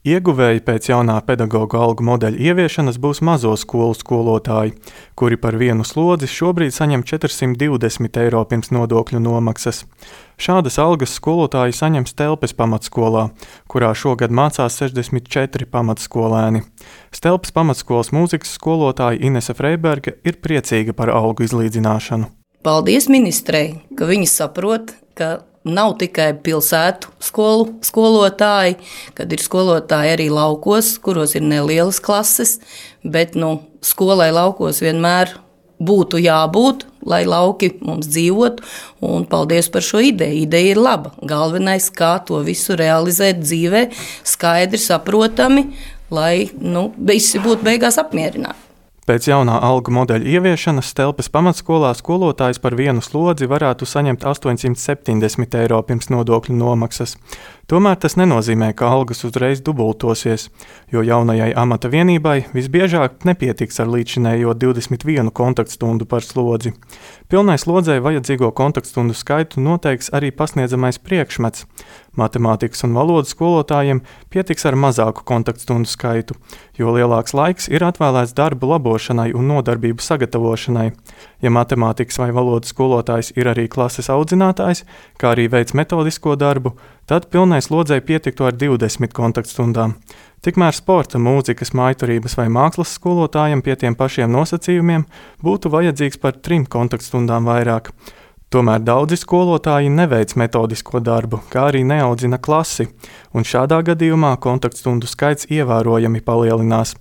Ieguvēji pēc jaunā pedagoģa algu modeļa ieviešanas būs mazo skolu skolotāji, kuri par vienu slodzi šobrīd saņem 420 eiro pirms nodokļu nomaksas. Šādas algas skolotāji saņems Stelpes pamatskolā, kurā šogad mācās 64 pamatskolēni. Stelpes pamatskolas mūzikas skolotāja Inese Freiberga ir priecīga par algu izlīdzināšanu. Paldies ministrei, ka viņi saprot, ka nav tikai pilsētu skolotāji, kad ir skolotāji arī laukos, kuros ir nelielas klases, bet skolai laukos vienmēr būtu jābūt, lai lauki mums dzīvotu, un paldies par šo ideju. Ideja ir laba. Galvenais, kā to visu realizēt dzīvē, skaidri, saprotami, lai visi būtu beigās apmierināti. Pēc jaunā algu modeļa ieviešanas Stelpes pamatskolā skolotājs par vienu slodzi varētu saņemt 870 eiro pirms nodokļu nomaksas. Tomēr tas nenozīmē, ka algas uzreiz dubultosies, jo jaunajai amata vienībai visbiežāk nepietiks ar līdzinējo 21 kontaktstundu par slodzi. Pilnai slodzei vajadzīgo kontaktstundu skaitu noteiks arī pasniedzamais priekšmets. Matemātikas un valodas skolotājiem pietiks ar mazāku kontaktstundu skaitu, jo lielāks laiks ir atvēlēts darbu labošanai un nodarbību sagatavošanai. Ja matemātikas vai valodas skolotājs ir arī klases audzinātājs, kā arī veic metodisko darbu, tad pilnai slodzei pietiktu ar 20 kontaktstundām. Tikmēr sporta, mūzikas, mājturības vai mākslas skolotājiem pie tiem pašiem nosacījumiem būtu vajadzīgs par 3 kontaktstundām vairāk. Tomēr daudzi skolotāji neveic metodisko darbu, kā arī neaudzina klasi, un šādā gadījumā kontaktstundu skaits ievērojami palielinās.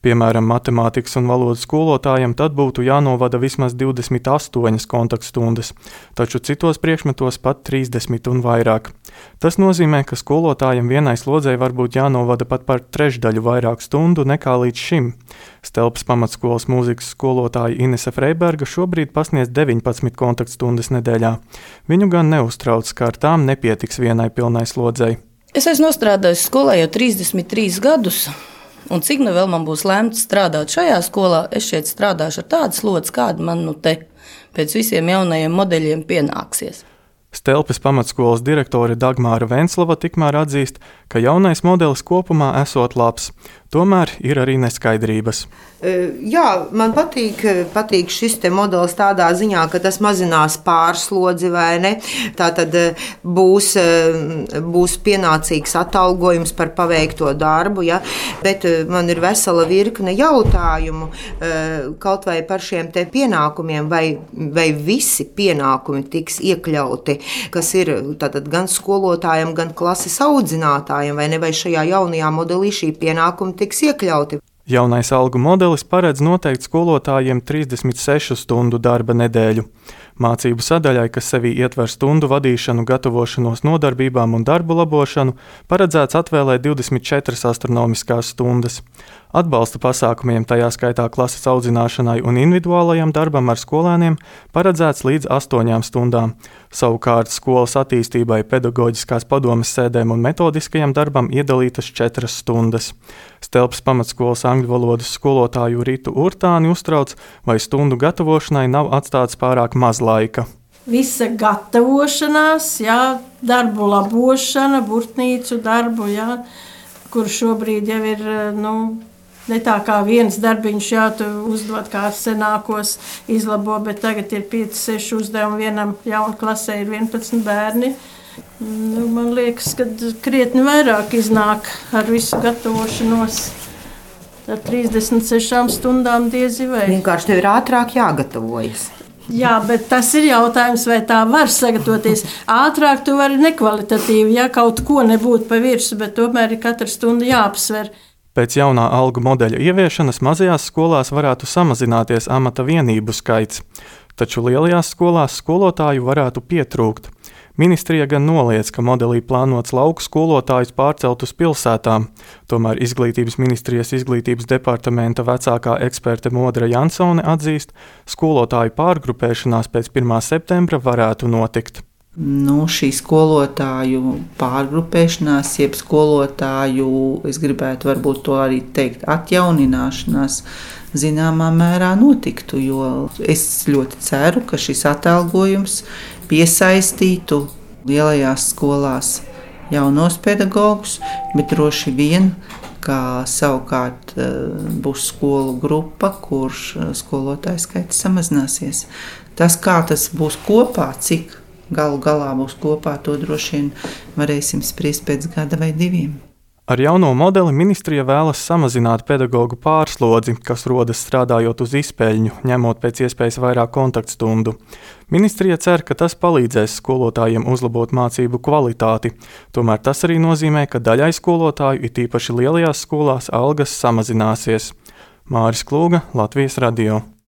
Piemēram, matemātikas un valodas skolotājiem tad būtu jānovada vismaz 28 kontaktstundas, taču citos priekšmetos pat 30 un vairāk. Tas nozīmē, ka skolotājiem vienai slodzei varbūt jānovada pat par trešdaļu vairāk stundu nekā līdz šim. Stelpes pamatskolas mūzikas skolotāja Inese Freiberga šobrīd pasniedz 19 kontaktstundas nedēļā. Viņu gan neuztrauc, ka ar tām nepietiks vienai pilnai slodzei. Es esmu nostrādājis skolā jau 33 gadus. Un cik vēl man būs lemts strādāt šajā skolā, es šeit strādāšu ar tādu slodzi, kāda man te pēc visiem jaunajiem modeļiem pienāksies. Stelpes pamatskolas direktore Dagmāra Venslava tikmēr atzīst, ka jaunais modelis kopumā esot labs, tomēr ir arī neskaidrības. Jā, man patīk šis te modelis tādā ziņā, ka tas mazinās pārslodzi, vai ne? Tātad būs pienācīgs atalgojums par paveikto darbu, ja? Bet man ir vesela virkne jautājumu, kaut vai par šiem te pienākumiem, vai visi pienākumi tiks iekļauti, kas ir tātad gan skolotājiem, gan klases audzinātājiem, vai ne, vai šajā jaunajā modelī šī pienākumi tiks iekļauti. Jaunais algu modelis paredz noteikt skolotājiem 36 stundu darba nedēļu. Mācību sadaļai, kas sevī ietver stundu vadīšanu, gatavošanos nodarbībām un darbu labošanu, paredzēts atvēlēt 24 astronomiskās stundas. Atbalsta pasākumiem, tajā skaitā klases audzināšanai un individuālajam darbam ar skolēniem, paredzēts līdz 8 stundām. Savukārt skolas attīstībai, pedagoģiskās padomes sēdēm un metodiskajam darbam iedalītas 4 stundas. Stelpes pamatskolas angļu valodas skolotāju Ritu Urtāni uztrauc, vai stundu gatavošanai nav atstāts pārāk maz laika. Visa gatavošanās, darbu labošana, burtnīcu darbu, kur šobrīd jau ir, ne tā kā viens darbiņš tu uzdod, kā senākos izlabo, bet tagad ir 5-6 uzdevumi, vienam jaunu klasē ir 11 bērni. Man liekas, ka krietni vairāk iznāk ar visu gatavošanos. Ar 36 stundām diezi vai. Vienkārši tev ir ātrāk jāgatavojas. Jā, bet tas ir jautājums, vai tā var sagatavoties. Ātrāk tu vari nekvalitatīvi, kaut ko nebūt pa virsu, bet tomēr ir katra stunda jāapsver. Pēc jaunā algu modeļa ieviešanas mazajās skolās varētu samazināties amata vienību skaits, taču lielajās skolās skolotāju varētu pietrūkt. Ministrija gan noliedz, ka modelī plānots lauku skolotājus pārcelt uz pilsētām, tomēr Izglītības ministrijas izglītības departamenta vecākā eksperte Modra Jansone atzīst, skolotāju pārgrupēšanās pēc 1. septembra varētu notikt. Šī skolotāju pārgrupēšanās, jeb skolotāju, es gribētu varbūt to arī teikt, atjaunināšanās, zināmā mērā notiktu, jo es ļoti ceru, ka šis atalgojums piesaistītu lielajās skolās jaunos pedagogus, bet droši vien, ka savukārt būs skolu grupa, kurš skolotāju skaits samazināsies. Tas, kā tas būs kopā, cik galu galā būs kopā, to droši vien varēsim spriest pēc gada vai 2. Ar jauno modeli ministrija vēlas samazināt pedagogu pārslodzi, kas rodas strādājot uz izpeļņu, ņemot pēc iespējas vairāk kontaktstundu. Ministrija cer, ka tas palīdzēs skolotājiem uzlabot mācību kvalitāti. Tomēr tas arī nozīmē, ka daļai skolotāju, it īpaši lielajās skolās, algas samazināsies. Māris Klūga, Latvijas radio.